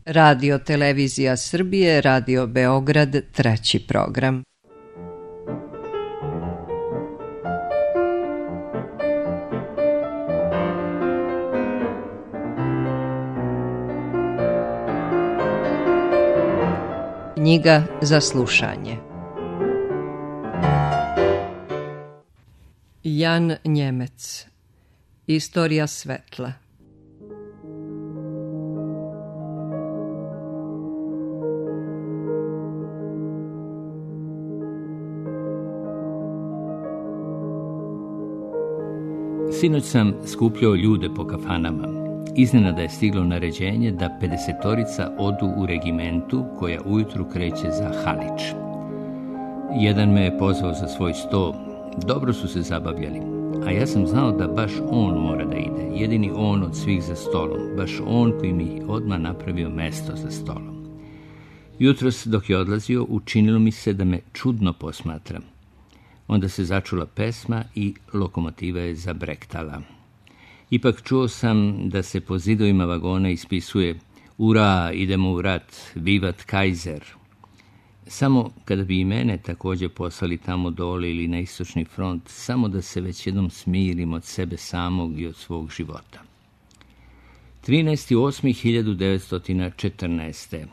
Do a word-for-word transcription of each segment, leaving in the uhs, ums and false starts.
Radio Televizija Srbije, Radio Beograd, treći program. Knjiga za slušanje. Jan Njemec. Istorija svetla. Sinoć sam skupljao ljude po kafanama. Iznenada je stiglo naređenje da pedesetorica odu u regimentu koja ujutru kreće za Halič. Jedan me je pozvao za svoj sto. Dobro su se zabavljali, a ja sam znao da baš on mora da ide, jedini on od svih za stolom, baš on koji mi odmah napravio mesto za stolom. Jutros dok je odlazio, učinilo mi se da me čudno posmatra. Onda se začula pesma i lokomotiva je zabrektala. Ipak čuo sam da se po zidovima vagona ispisuje "Ura, idemo u rat, vivat Kaiser". Samo kada bi i mene također poslali tamo dole ili na istočni front, samo da se već jednom smirim od sebe samog i od svog života. trinaesti osmi hiljadu devetsto četrnaeste.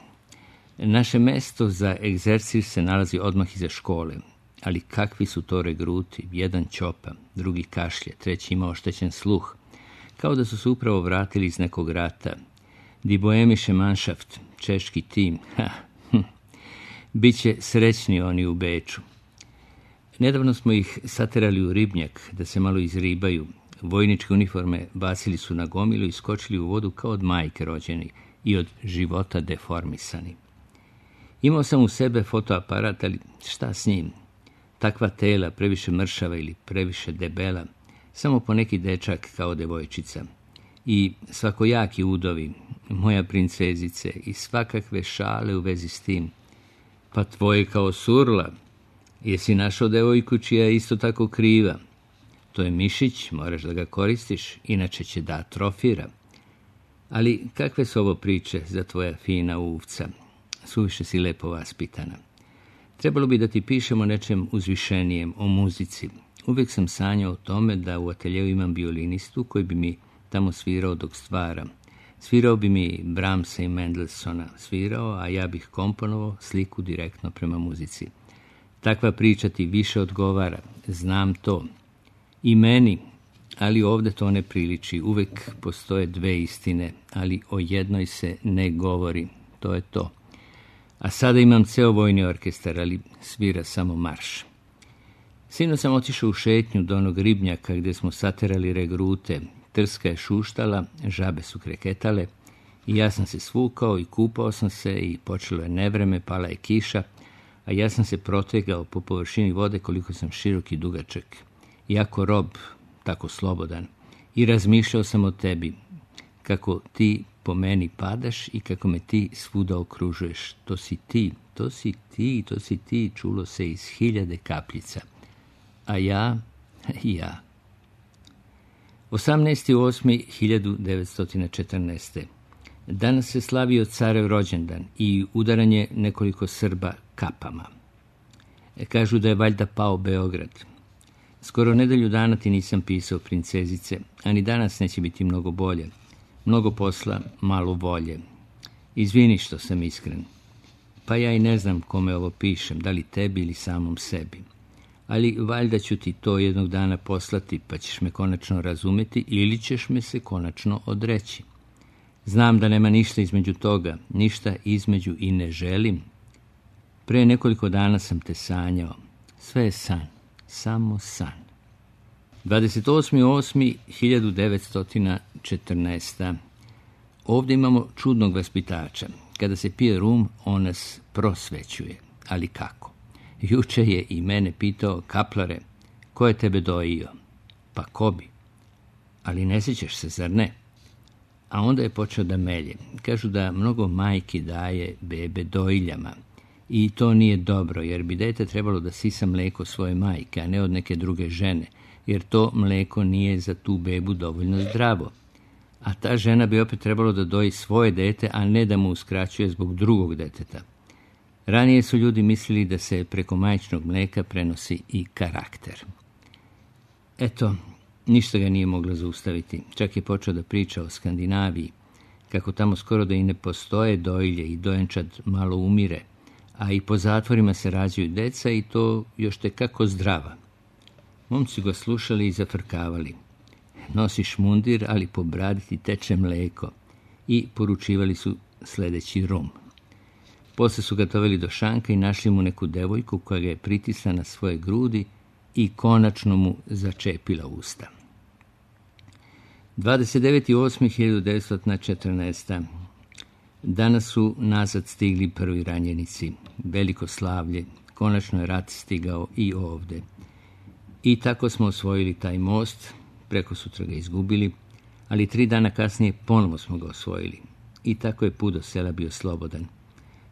Naše mesto za egzercis se nalazi odmah iza škole, ali kakvi su to regruti, jedan ćopa, drugi kašlje, treći ima oštećen sluh, kao da su se upravo vratili iz nekog rata. Die Bohemische Mannschaft, češki tim, ha, hm. Biće srećni oni u Beču. Nedavno smo ih saterali u ribnjak da se malo izribaju. Vojničke uniforme bacili su na gomilu i skočili u vodu kao od majke rođeni i od života deformisani. Imao sam u sebe fotoaparat, ali šta s njim? Takva tela, previše mršava ili previše debela, samo po neki dečak kao devojčica. I svakojaki udovi, moja princezice, i svakakve šale u vezi s tim. Pa tvoje kao surla, jesi našao devojku čija je isto tako kriva? To je mišić, moraš da ga koristiš, inače će da atrofira. Ali kakve su ovo priče za tvoja fina uvca? Suviše si lepo vaspitana. Trebalo bi da ti pišemo nečem uzvišenijem, o muzici. Uvijek sam sanjao o tome da u ateljevu imam violinistu koji bi mi tamo svirao dok stvaram. Svirao bi mi Brahmsa i Mendelssohna, svirao, a ja bih komponovao sliku direktno prema muzici. Takva priča ti više odgovara, znam to. I meni, ali ovdje to ne priliči. Uvijek postoje dve istine, ali o jednoj se ne govori. To je to. A sada imam ceo vojni orkestar, ali svira samo marš. Sino sam otišao u šetnju do onog ribnjaka gdje smo saterali regrute. Trska je šuštala, žabe su kreketale i ja sam se svukao i kupao sam se i počelo je nevreme, pala je kiša, a ja sam se protegao po površini vode koliko sam širok i dugačak. Jako rob, tako slobodan. I razmišljao sam o tebi, kako ti po meni padaš i kako me ti svuda okružuješ. To si ti, to si ti, to si ti, čulo se iz hiljade kapljica. A ja, ja. osamnaesti osmi hiljadu devetsto četrnaeste. Danas se slavio carev rođendan i udaranje nekoliko Srba kapama. Kažu da je valjda pao Beograd. Skoro nedelju dana ti nisam pisao, princezice, a ni danas neće biti mnogo bolje. Mnogo posla, malo volje. Izvini što sam iskren. Pa ja i ne znam kome ovo pišem, da li tebi ili samom sebi. Ali valjda ću ti to jednog dana poslati, pa ćeš me konačno razumjeti ili ćeš me se konačno odreći. Znam da nema ništa između toga, ništa između i ne želim. Pre nekoliko dana sam te sanjao. Sve je san, samo san. dvadeset osmi osmi hiljadu devetsto četrnaeste. Ovdje imamo čudnog vaspitača. Kada se pije rum, on nas prosvećuje. Ali kako? Juče je i mene pitao: kaplare, ko je tebe dojio? Pa ko bi? Ali ne sjećaš se, zar ne? A onda je počeo da melje. Kažu da mnogo majki daje bebe dojiljama. I to nije dobro, jer bi dete trebalo da sisa mleko svoje majke, a ne od neke druge žene, jer to mleko nije za tu bebu dovoljno zdravo. a ta žena bi opet trebalo da doji svoje dete, a ne da mu uskraćuje zbog drugog deteta. Ranije su ljudi mislili da se preko majčinog mlijeka prenosi i karakter. Eto, ništa ga nije moglo zaustaviti. Čak je počeo da priča o Skandinaviji, kako tamo skoro da i ne postoje dojilje i dojenčad malo umire, a i po zatvorima se rađaju deca i to još te kako zdrava. Momci ga slušali i zafrkavali. Nosiš mundir, ali po bradi ti teče mleko, i poručivali su sljedeći rum. Posle su ga doveli do šanka i našli mu neku devojku koja ga je pritisla na svoje grudi i konačno mu začepila usta. dvadeset deveti osmi hiljadu devetsto četrnaeste. Danas su nazad stigli prvi ranjenici. Veliko slavlje. Konačno je rat stigao i ovde. I tako smo osvojili taj most, preko sutra ga izgubili, ali tri dana kasnije ponovo smo ga osvojili. I tako je put do sela bio slobodan.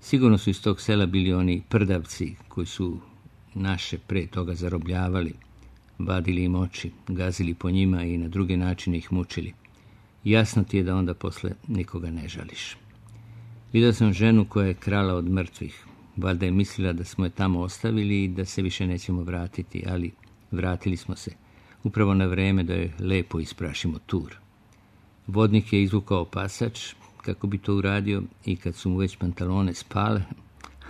Sigurno su iz tog sela bili oni prdavci koji su naše pre toga zarobljavali, vadili im oči, gazili po njima i na druge načine ih mučili. Jasno ti je da onda posle nikoga ne žališ. Vidio sam ženu koja je krala od mrtvih. Valjda je mislila da smo je tamo ostavili i da se više nećemo vratiti, ali vratili smo se, upravo na vreme da je lepo isprašimo tur. Vodnik je izvukao pasač, kako bi to uradio, i kad su mu već pantalone spale,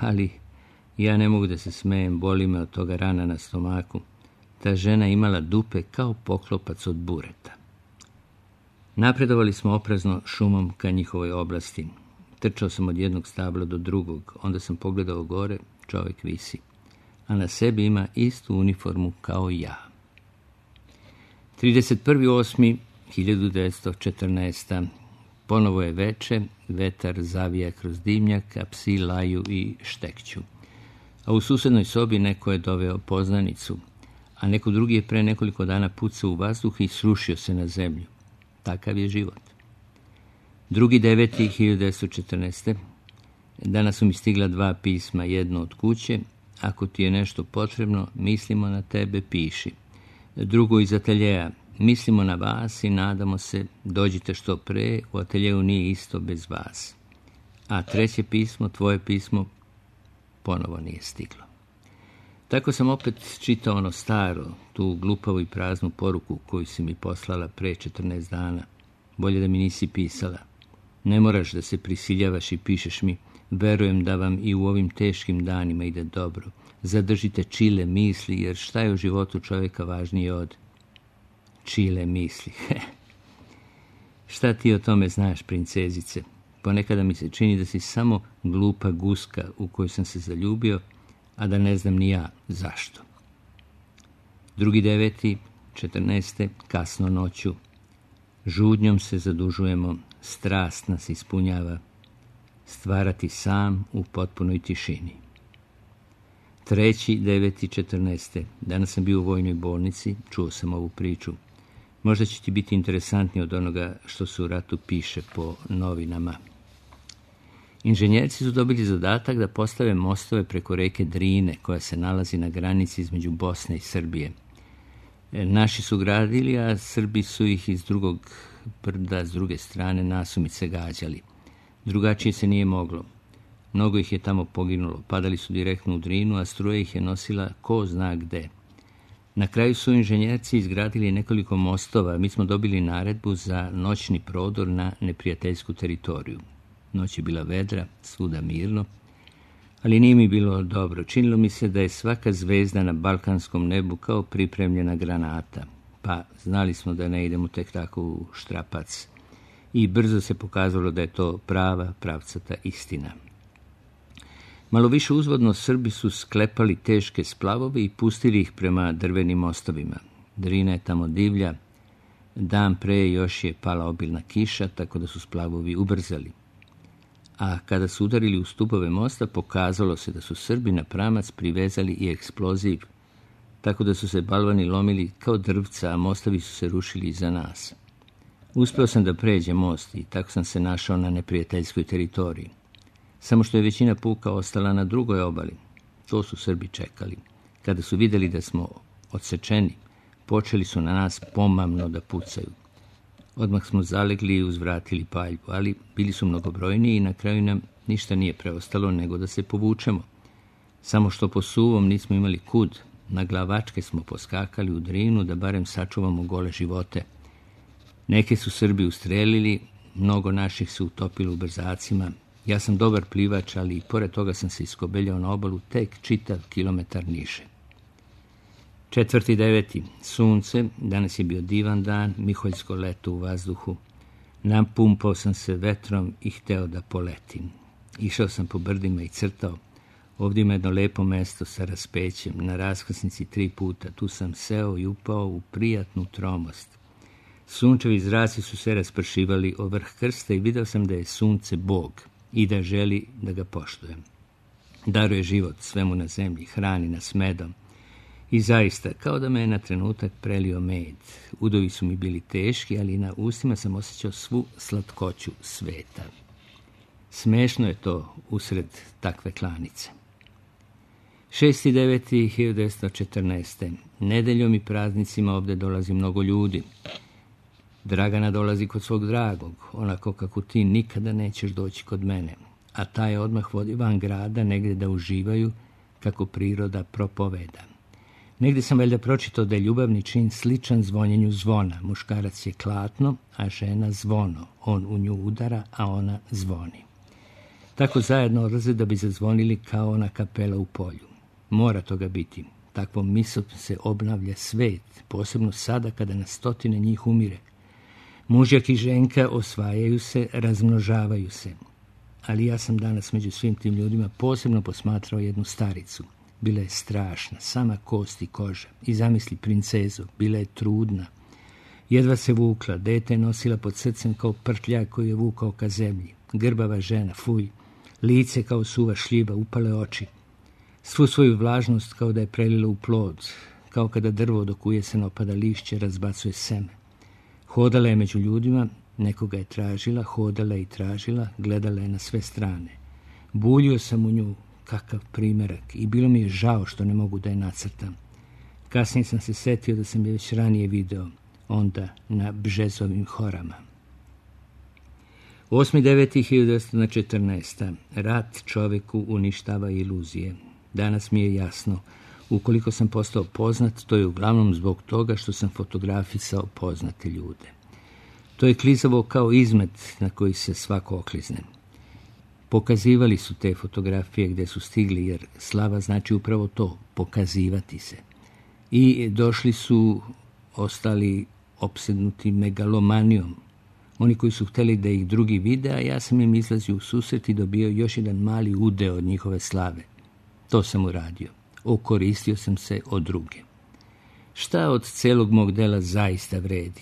ali ja ne mogu da se smejem, boli me od toga rana na stomaku. Ta žena imala dupe kao poklopac od bureta. Napredovali smo oprezno šumom ka njihovoj oblasti. Trčao sam od jednog stabla do drugog, onda sam pogledao gore, čovjek visi, a na sebi ima istu uniformu kao ja. trideset prvi osmi hiljadu devetsto četrnaeste. Ponovo je veče, vetar zavija kroz dimnjak, a psi laju i štekću. A u susednoj sobi neko je doveo poznanicu, a neko drugi je pre nekoliko dana pucao u vazduh i srušio se na zemlju. Takav je život. Drugi deveti hiljadu devetsto četrnaeste. Danas su mi stigla dva pisma, jedno od kuće. Ako ti je nešto potrebno, mislimo na tebe, piši. Drugo iz ateljeja. Mislimo na vas i nadamo se, dođite što pre, u ateljeju nije isto bez vas. A treće pismo, tvoje pismo, ponovo nije stiglo. Tako sam opet čitao ono staro, tu glupavu i praznu poruku koju si mi poslala pre četrnaest dana. Bolje da mi nisi pisala. Ne moraš da se prisiljavaš i pišeš mi, verujem da vam i u ovim teškim danima ide dobro. Zadržite čile misli, jer šta je u životu čovjeka važnije od čile misli? Šta ti o tome znaš, princezice? Ponekada mi se čini da si samo glupa guska u koju sam se zaljubio, a da ne znam ni ja zašto. Drugi deveti, četrnaeste, kasno noću. Žudnjom se zadužujemo, strast nas ispunjava, stvarati sam u potpunoj tišini. Treći, deveti, četrnaeste. Danas sam bio u vojnoj bolnici, čuo sam ovu priču. Možda će ti biti interesantnije od onoga što se u ratu piše po novinama. Inženjerci su dobili zadatak da postave mostove preko reke Drine, koja se nalazi na granici između Bosne i Srbije. Naši su gradili, a Srbi su ih iz drugog brda, s druge strane, nasumice gađali. Drugačije se nije moglo. Mnogo ih je tamo poginulo, padali su direktno u Drinu, a struja ih je nosila ko zna gde. Na kraju su inženjerci izgradili nekoliko mostova, mi smo dobili naredbu za noćni prodor na neprijateljsku teritoriju. Noć je bila vedra, svuda mirno, ali nije mi bilo dobro. Činilo mi se da je svaka zvezda na balkanskom nebu kao pripremljena granata, pa znali smo da ne idemo tek tako u štrapac. I brzo se pokazalo da je to prava, pravcata istina. Malo više uzvodno Srbi su sklepali teške splavove i pustili ih prema drvenim mostovima. Drina je tamo divlja, dan pre još je pala obilna kiša, tako da su splavovi ubrzali. A kada su udarili u stupove mosta, pokazalo se da su Srbi na pramac privezali i eksploziv, tako da su se balvani lomili kao drvca, a mostovi su se rušili iza nas. Uspeo sam da pređem most i tako sam se našao na neprijateljskoj teritoriji. Samo što je većina puka ostala na drugoj obali. To su Srbi čekali. Kada su vidjeli da smo odsečeni, počeli su na nas pomamno da pucaju. Odmah smo zalegli i uzvratili paljbu, ali bili su mnogobrojniji i na kraju nam ništa nije preostalo nego da se povučemo. Samo što po suvom nismo imali kud, na glavačke smo poskakali u Drinu da barem sačuvamo gole živote. Neke su Srbi ustrelili, mnogo naših se utopilo u brzacima. Ja sam dobar plivač, ali i pored toga sam se iskobeljao na obalu tek čitav kilometar niže. Četvrti deveti. Sunce, danas je bio divan dan, miholjsko leto u vazduhu. Napumpao sam se vetrom i hteo da poletim. Išao sam po brdima i crtao. Ovdje ima jedno lepo mesto sa raspećem, na raskrsnici tri puta. Tu sam seo i upao u prijatnu tromost. Sunčevi zraci su se raspršivali o vrh krsta i video sam da je sunce Bog i da želi da ga poštujem. Daruje život svemu na zemlji, hrani nas medom. I zaista, kao da me je na trenutak prelio med. Udovi su mi bili teški, ali na ustima sam osjećao svu slatkoću sveta. Smešno je to usred takve klanice. šesti deveti hiljadu devetsto četrnaeste. Nedeljom i praznicima ovdje dolazi mnogo ljudi. Dragana dolazi kod svog dragog, onako kako ti nikada nećeš doći kod mene, a taj odmah vodi van grada negdje da uživaju kako priroda propoveda. Negdje sam valjda pročitao da je ljubavni čin sličan zvonjenju zvona. Muškarac je klatno, a žena zvono. On u nju udara, a ona zvoni. Tako zajedno odlaze da bi zazvonili kao ona kapela u polju. Mora toga biti. Takvom mislom se obnavlja svet, posebno sada kada na stotine njih umire. Mužjak i ženka osvajaju se, razmnožavaju se. Ali ja sam danas među svim tim ljudima posebno posmatrao jednu staricu. Bila je strašna, sama kost i koža. I zamisli princezu, bila je trudna. Jedva se vukla, dete je nosila pod srcem kao prtljak koji je vukao ka zemlji. Grbava žena, fuj, lice kao suva šljiva, upale oči. Svu svoju vlažnost kao da je prelila u plod, kao kada drvo dok u jesen opada lišće razbacuje seme. Hodala je među ljudima, nekoga je tražila, hodala je i tražila, gledala je na sve strane. Buljio sam u nju, kakav primerak, i bilo mi je žao što ne mogu da je nacrtam. Kasnije sam se setio da sam je već ranije video, onda na Bžezovim horama. osmi deveti hiljadu devetsto četrnaeste. Rat čoveku uništava iluzije. Danas mi je jasno, ukoliko sam postao poznat, to je uglavnom zbog toga što sam fotografisao poznate ljude. To je klizavo kao izmet na koji se svako oklizne. Pokazivali su te fotografije gdje su stigli, jer slava znači upravo to, pokazivati se. I došli su ostali opsednuti megalomanijom. Oni koji su htjeli da ih drugi vide, a ja sam im izlazio u susret i dobio još jedan mali udeo od njihove slave. To sam uradio. Okoristio sam se od druge. Šta od celog mog dela zaista vredi?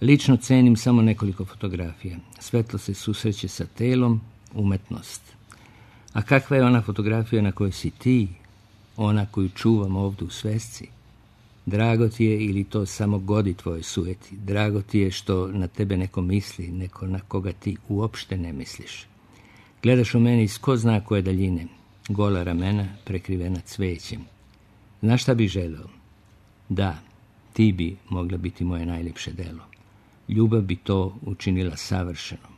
Lično cenim samo nekoliko fotografija. Svetlo se susreće sa telom, umetnost. A kakva je ona fotografija na kojoj si ti, ona koju čuvam ovdje u svesci? Drago ti je ili to samo godi tvoje sujeti? Drago ti je što na tebe neko misli, neko na koga ti uopšte ne misliš. Gledaš u meni iz ko zna koje daljine, gola ramena prekrivena cvećem. Znaš šta bi želeo? Da, ti bi mogla biti moje najljepše delo. Ljubav bi to učinila savršeno.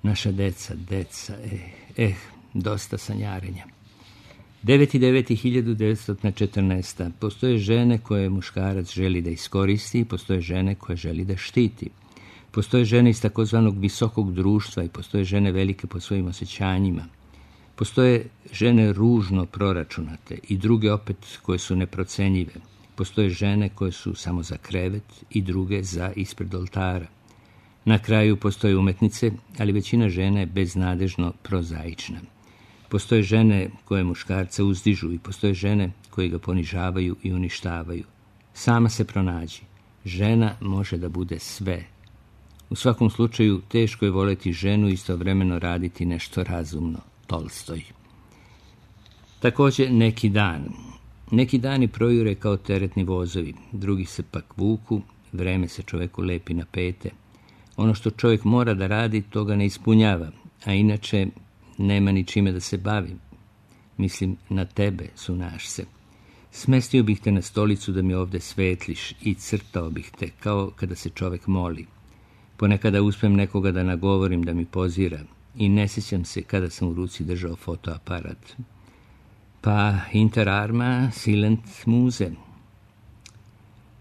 Naša deca, deca, eh, eh, dosta sanjarenja. deveti deveti hiljadu devetsto četrnaeste. Postoje žene koje muškarac želi da iskoristi i postoje žene koje želi da štiti. Postoje žene iz takozvanog visokog društva i postoje žene velike po svojim osjećanjima. Postoje žene ružno proračunate i druge opet koje su neprocenjive. Postoje žene koje su samo za krevet i druge za ispred oltara. Na kraju postoje umetnice, ali većina žena je beznadežno prozaična. Postoje žene koje muškarca uzdižu i postoje žene koje ga ponižavaju i uništavaju. Sama se pronađi. Žena može da bude sve. U svakom slučaju teško je voleti ženu i istovremeno raditi nešto razumno. Tolstoj. Također neki dan. Neki dani projure kao teretni vozovi, drugi se pak vuku, vreme se čoveku lepi na pete. Ono što čovjek mora da radi, to ga ne ispunjava, a inače nema ni čime da se bavi. Mislim, na tebe, sunaš se. Smestio bih te na stolicu da mi ovdje svetliš i crtao bih te, kao kada se čovjek moli. Ponekada uspem nekoga da nagovorim da mi pozira i ne sjećam se kada sam u ruci držao fotoaparat. Pa inter arma silent muse.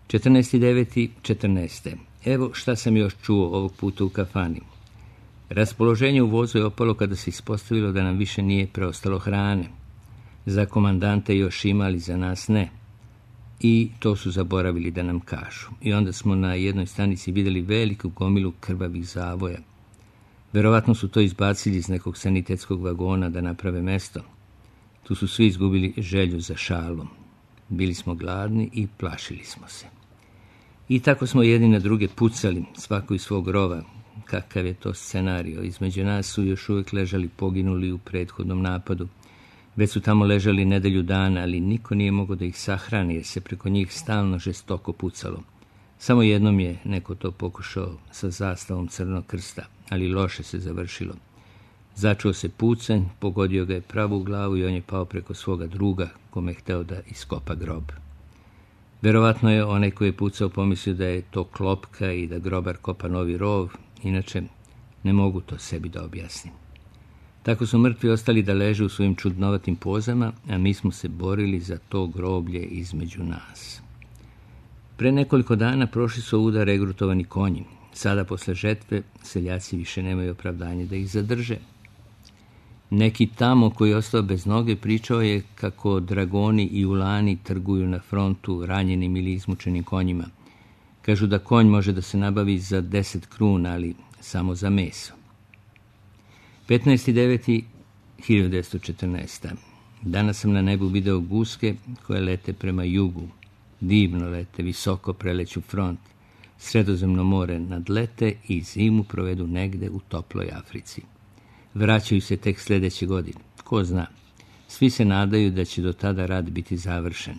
četrnaesti deveti četrnaeste. Evo šta sam još čuo ovog puta u kafani. Raspoloženje u vozu je opalo kada se ispostavilo da nam više nije preostalo hrane. Za komandante još imali, za nas ne. I to su zaboravili da nam kažu. I onda smo na jednoj stanici vidjeli veliku gomilu krvavih zavoja. Verovatno su to izbacili iz nekog sanitetskog vagona da naprave mesto. Tu su svi izgubili želju za šalom. Bili smo gladni i plašili smo se. I tako smo jedni na druge pucali, svako iz svog rova. Kakav je to scenario? Između nas su još uvijek ležali poginuli u prethodnom napadu. Već su tamo ležali nedelju dana, ali niko nije mogao da ih sahrani, jer se preko njih stalno žestoko pucalo. Samo jednom je neko to pokušao sa zastavom Crnog krsta, ali loše se završilo. Začuo se pucanj, pogodio ga je pravo u glavu i on je pao preko svoga druga, kome je hteo da iskopa grob. Verovatno je onaj koji je pucao pomislio da je to klopka i da grobar kopa novi rov, inače ne mogu to sebi da objasnim. Tako su mrtvi ostali da leže u svojim čudnovatim pozama, a mi smo se borili za to groblje između nas. Pre nekoliko dana prošli su ovuda regrutovani konji. Sada, posle žetve, seljaci više nemaju opravdanje da ih zadrže. Neki tamo koji je ostao bez noge pričao je kako dragoni i ulani trguju na frontu ranjenim ili izmučenim konjima. Kažu da konj može da se nabavi za deset kruna, ali samo za meso. petnaesti deveti hiljadu devetsto četrnaeste. Danas sam na nebu video guske koje lete prema jugu. Divno lete, visoko preleću front. Sredozemno more nadlete i zimu provedu negde u toploj Africi. Vraćaju se tek sljedeće godine. Ko zna? Svi se nadaju da će do tada rad biti završen.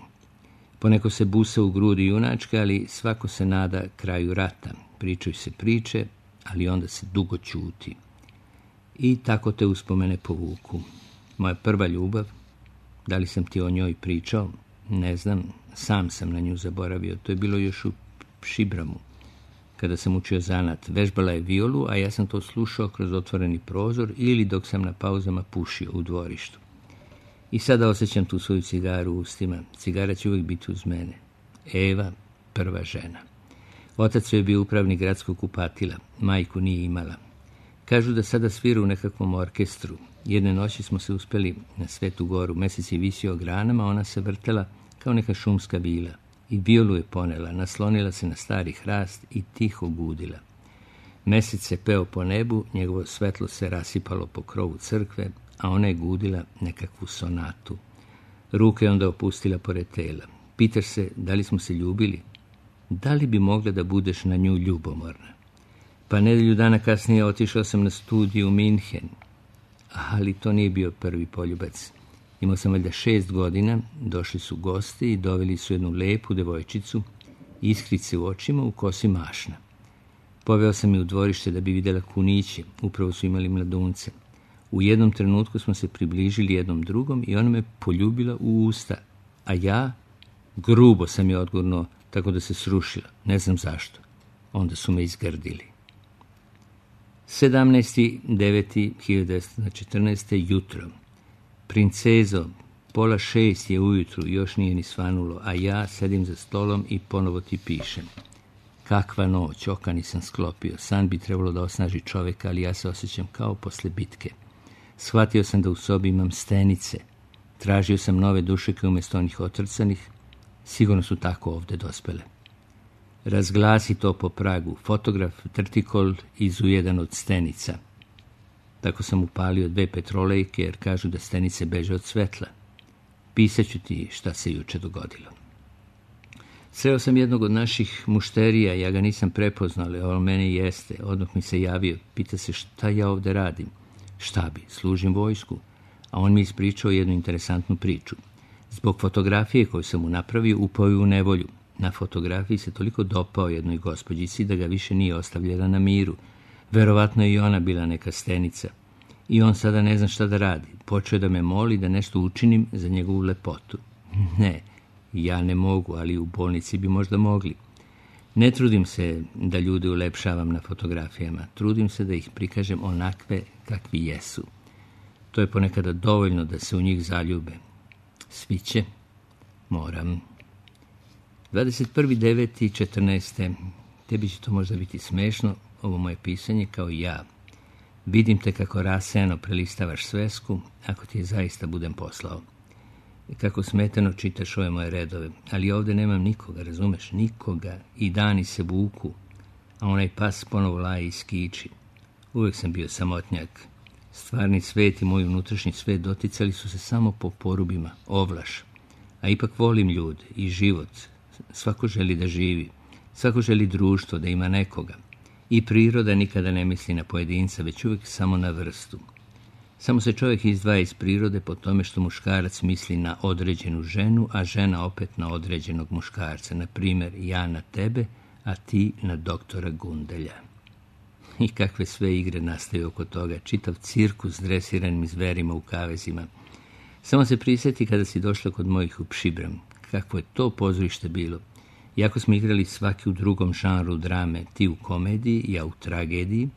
Poneko se busa u grudi junačke, ali svako se nada kraju rata. Pričaju se priče, ali onda se dugo ćuti. I tako te uspomene povuku. Moja prva ljubav, da li sam ti o njoj pričao? Ne znam, sam sam na nju zaboravio. To je bilo još u Šibramu, kada sam učio zanat. Vežbala je violu, a ja sam to slušao kroz otvoreni prozor ili dok sam na pauzama pušio u dvorištu. I sada osjećam tu svoju cigaru u ustima. Cigara će uvijek biti uz mene. Eva, prva žena. Otac je bio upravnik gradskog kupatila. Majku nije imala. Kažu da sada svira u nekakvom orkestru. Jedne noći smo se uspeli na Svetu goru. Mesec je visio granama, ona se vrtela kao neka šumska vila. I violu je ponela, naslonila se na stari hrast i tiho gudila. Mesec se peo po nebu, njegovo svetlo se rasipalo po krovu crkve, a ona je gudila nekakvu sonatu. Ruke je onda opustila pored tela. Pitaš se da li smo se ljubili? Da li bi mogla da budeš na nju ljubomorna? Pa nedelju dana kasnije otišao sam na studiju u Minhen, ali to nije bio prvi poljubac. Imao sam valjda šest godina, došli su gosti i doveli su jednu lepu devojčicu, iskrice u očima, u kosi mašna. Poveo sam je u dvorište da bi vidjela kuniće, upravo su imali mladunce. U jednom trenutku smo se približili jednom drugom i ona me poljubila u usta, a ja grubo sam je odgurnuo, tako da se srušila, ne znam zašto. Onda su me izgrdili. sedamnaesti deveti hiljadu devetsto četrnaeste. jutro. Princezo, pola šest je ujutru, još nije ni svanulo, a ja sedim za stolom i ponovo ti pišem. Kakva noć, oka nisam sklopio, san bi trebalo da osnaži čoveka, ali ja se osjećam kao posle bitke. Shvatio sam da u sobi imam stenice, tražio sam nove dušeke umjesto onih otrcanih, sigurno su tako ovde dospele. Razglasi to po pragu, fotograf trtikol izu jedan od stenica. Tako sam upalio dve petrolejke, jer kažu da stenice beže od svetla. Pisaću ti šta se juče dogodilo. Sreo sam jednog od naših mušterija, ja ga nisam prepoznao, ali on mene jeste. Odmah mi se javio, pita se šta ja ovde radim. Šta bi, služim vojsku. A on mi ispričao jednu interesantnu priču. Zbog fotografije koju sam mu napravio, upao je u nevolju. Na fotografiji se toliko dopao jednoj gospođici da ga više nije ostavljala na miru. Verovatno je i ona bila neka stenica. I on sada ne zna šta da radi. Počeo da me moli da nešto učinim za njegovu lepotu. Ne, ja ne mogu, ali u bolnici bi možda mogli. Ne trudim se da ljude ulepšavam na fotografijama, trudim se da ih prikažem onakve kakvi jesu. To je ponekada dovoljno da se u njih zaljube. Sviće, moram. dvadeset prvi deveti četrnaeste. Tebi će to možda biti smešno, ovo moje pisanje kao i ja. Vidim te kako rasejano prelistavaš svesku, ako ti je zaista budem poslao. Kako smetano čitaš ove moje redove, ali ovdje nemam nikoga, razumeš, nikoga, i dani se vuku, a onaj pas ponovo laje i skiči. Uvijek sam bio samotnjak. Stvarni svet i moj unutrašnji svet doticali su se samo po porubima, ovlaš. A ipak volim ljude i život. Svako želi da živi, svako želi društvo, da ima nekoga. I priroda nikada ne misli na pojedinca, već uvijek samo na vrstu. Samo se čovjek izdvaja iz prirode po tome što muškarac misli na određenu ženu, a žena opet na određenog muškarca. Na primjer, ja na tebe, a ti na doktora Gundelja. I kakve sve igre nastaju oko toga, čitav cirkus s dresiranim zverima u kavezima. Samo se prisjeti kada si došla kod mojih u Pšibram. Kakvo je to pozorište bilo. Iako smo igrali svaki u drugom žanru drame, ti u komediji, ja u tragediji,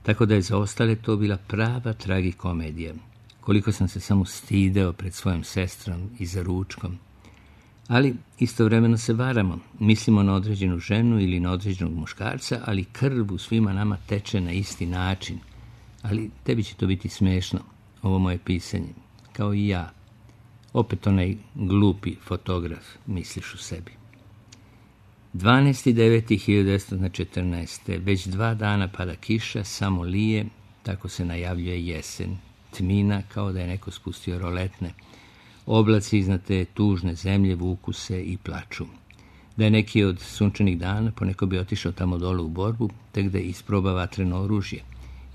tako da je za ostale to bila prava tragikomedija. Koliko sam se samo stideo pred svojom sestrom i za ručkom. Ali istovremeno se varamo, mislimo na određenu ženu ili na određenog muškarca, ali krv u svima nama teče na isti način. Ali tebi će to biti smešno, ovo moje pisanje, kao i ja. Opet onaj glupi fotograf, misliš u sebi. dvanaesti deveti hiljadu devetsto četrnaeste. Već dva dana pada kiša, samo lije, tako se najavljuje jesen. Tmina, kao da je neko spustio roletne. Oblaci iznad te tužne zemlje vuku se i plaču. Da je neki od sunčanih dana, poneko bi otišao tamo dole u borbu, tek da isproba vatreno oružje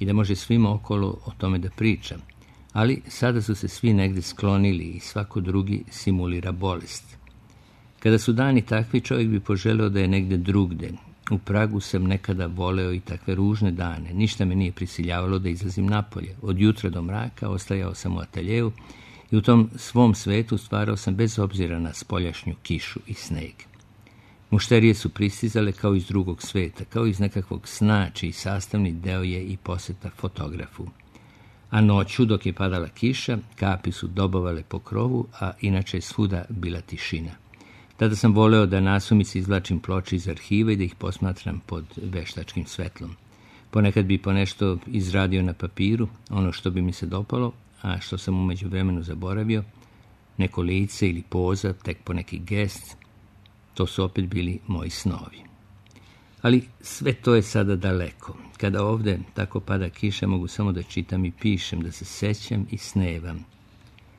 i da može svima okolo o tome da priča. Ali sada su se svi negdje sklonili i svako drugi simulira bolest. Kada su dani takvi, čovjek bi poželeo da je negdje drugde. U Pragu sam nekada voleo i takve ružne dane. Ništa me nije prisiljavalo da izlazim napolje. Od jutra do mraka ostajao sam u ateljevu i u tom svom svetu stvarao sam bez obzira na spoljašnju kišu i sneg. Mušterije su pristizale kao iz drugog sveta, kao iz nekakvog sna, čiji sastavni deo je i posjeta fotografu. A noću, dok je padala kiša, kapi su dobovale po krovu, a inače je svuda bila tišina. Tada sam voleo da nasumici izvlačim ploče iz arhiva i da ih posmatram pod veštačkim svetlom. Ponekad bi po nešto izradio na papiru, ono što bi mi se dopalo, a što sam u međuvremenu zaboravio, neko lice ili poza, tek po neki gest, to su opet bili moji snovi. Ali sve to je sada daleko. Kada ovdje tako pada kiša, mogu samo da čitam i pišem, da se sećam i snevam.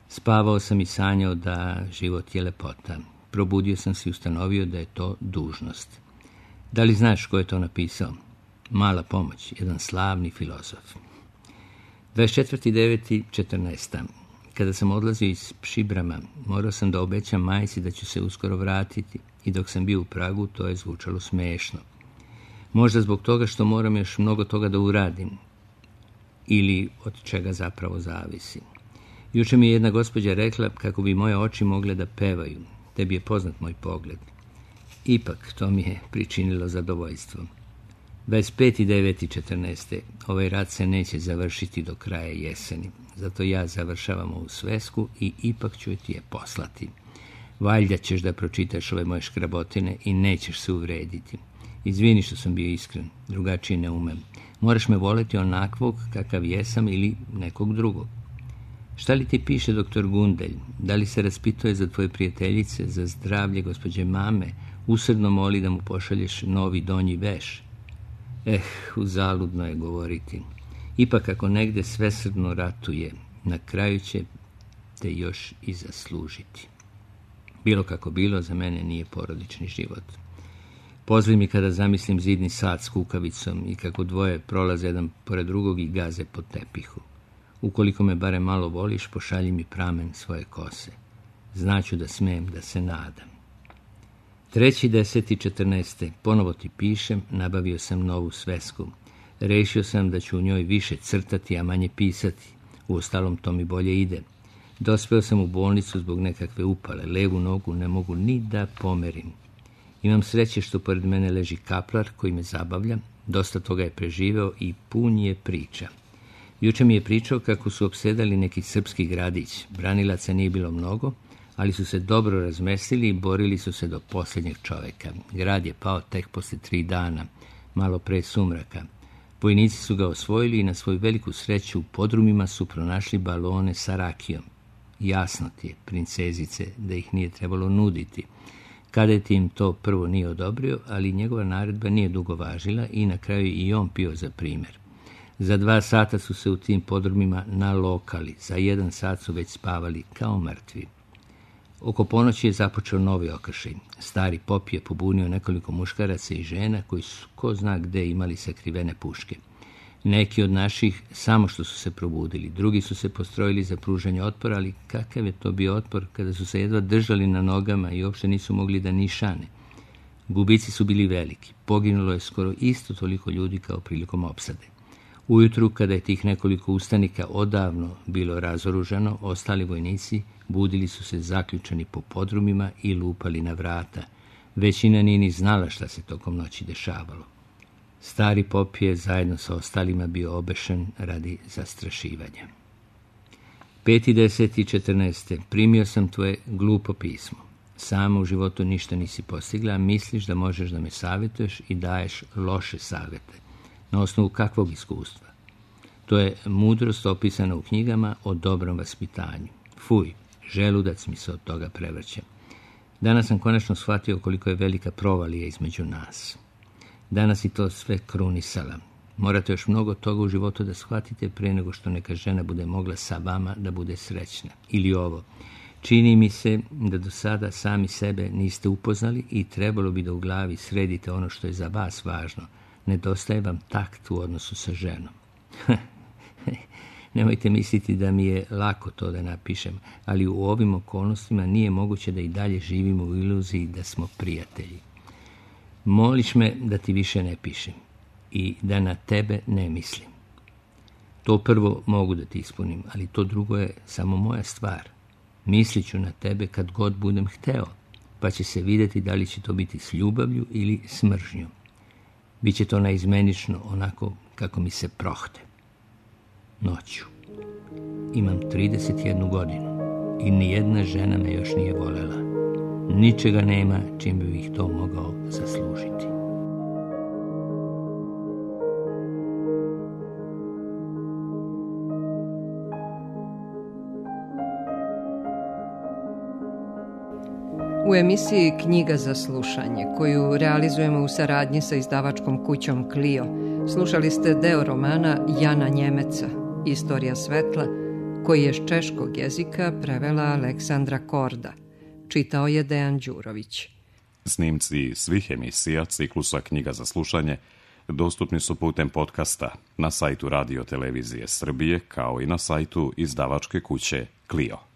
Spavao sam i sanjao da život je lepota. Probudio sam se i ustanovio da je to dužnost. Da li znaš ko je to napisao? Mala pomoć, jedan slavni filozof. dvadeset četvrti deveti četrnaeste. Kada sam odlazio iz Pšibrama, morao sam da obećam majci da ću se uskoro vratiti i dok sam bio u Pragu, to je zvučalo smešno. Možda zbog toga što moram još mnogo toga da uradim ili od čega zapravo zavisi. Juče mi je jedna gospođa rekla kako bi moje oči mogle da pevaju. Tebi je poznat moj pogled. Ipak to mi je pričinilo zadovoljstvo. dvadeset peti deveti četrnaeste. Ovaj rat se neće završiti do kraja jeseni. Zato ja završavam ovu svesku i ipak ću ti je poslati. Valjda ćeš da pročitaš ove moje škrabotine i nećeš se uvrediti. Izvini što sam bio iskren, drugačije ne umem. Moraš me voleti onakvog kakav jesam ili nekog drugog. Šta li ti piše doktor Gundelj? Da li se raspituje za tvoje prijateljice, za zdravlje gospođe mame? Usredno moli da mu pošalješ novi donji veš? Eh, uzaludno je govoriti. Ipak ako negde svesrdno ratuje, na kraju će te još i zaslužiti. Bilo kako bilo, za mene nije porodični život. Pozvi mi kada zamislim zidni sat s kukavicom i kako dvoje prolaze jedan pored drugog i gaze po tepihu. Ukoliko me bare malo voliš, pošalji mi pramen svoje kose. Znaću da smem da se nadam. treći deseti četrnaeste. Ponovo ti pišem, nabavio sam novu svesku. Rešio sam da ću u njoj više crtati, a manje pisati. Uostalom to mi bolje ide. Dospeo sam u bolnicu zbog nekakve upale. Levu nogu ne mogu ni da pomerim. Imam sreće što pored mene leži kaplar koji me zabavlja, dosta toga je preživeo i pun je priča. Juče mi je pričao kako su opsedali neki srpski gradić. Branilaca nije bilo mnogo, ali su se dobro razmestili i borili su se do posljednjeg čoveka. Grad je pao tek posle tri dana, malo pre sumraka. Vojnici su ga osvojili i na svoju veliku sreću u podrumima su pronašli balone sa rakijom. Jasno ti je, princezice, da ih nije trebalo nuditi. Kadet im to prvo nije odobrio, ali njegova naredba nije dugo važila i na kraju i on pio za primjer. Za dva sata su se u tim podrumima nalokali, za jedan sat su već spavali kao mrtvi. Oko ponoći je započeo novi okršaj. Stari pop je pobunio nekoliko muškaraca i žena koji su ko zna gde imali sakrivene puške. Neki od naših samo što su se probudili, drugi su se postrojili za pružanje otpora, ali kakav je to bio otpor kada su se jedva držali na nogama i uopšte nisu mogli da nišane. Gubici su bili veliki, poginulo je skoro isto toliko ljudi kao prilikom opsade. Ujutru, kada je tih nekoliko ustanika odavno bilo razoružano, ostali vojnici budili su se zaključani po podrumima i lupali na vrata. Većina nije ni znala šta se tokom noći dešavalo. Stari pop je zajedno sa ostalima bio obešen radi zastrašivanja. peti deseti četrnaeste Primio sam tvoje glupo pismo. Sama u životu ništa nisi postigla, a misliš da možeš da me savjetuješ i daješ loše savjete. Na osnovu kakvog iskustva? To je mudrost opisana u knjigama o dobrom vaspitanju. Fuj, želudac mi se od toga prevrće. Danas sam konačno shvatio koliko je velika provalija između nas. Danas i to sve krunisala. Morate još mnogo toga u životu da shvatite pre nego što neka žena bude mogla sa vama da bude srećna. Ili ovo, čini mi se da do sada sami sebe niste upoznali i trebalo bi da u glavi sredite ono što je za vas važno. Nedostaje vam takt u odnosu sa ženom. Nemojte misliti da mi je lako to da napišem, ali u ovim okolnostima nije moguće da i dalje živimo u iluziji da smo prijatelji. Moliš me da ti više ne pišem i da na tebe ne mislim. To prvo mogu da ti ispunim, ali to drugo je samo moja stvar. Mislit ću na tebe kad god budem hteo, pa će se vidjeti da li će to biti s ljubavlju ili s mržnjom. Biće to naizmenično, onako kako mi se prohte. Noću. Imam trideset jednu godinu i nijedna žena me još nije volela. Ničega nema čim bi ih to mogao zaslužiti. U emisiji Knjiga za slušanje, koju realizujemo u saradnji sa izdavačkom kućom Clio, slušali ste deo romana Jana Njemeca, Istorija svetla, koji je s češkog jezika prevela Aleksandra Korda. Čitao je Dejan Đurović. Snimci svih emisija ciklusa Knjiga za slušanje dostupni su putem podcasta na sajtu Radio Televizije Srbije, kao i na sajtu izdavačke kuće Clio.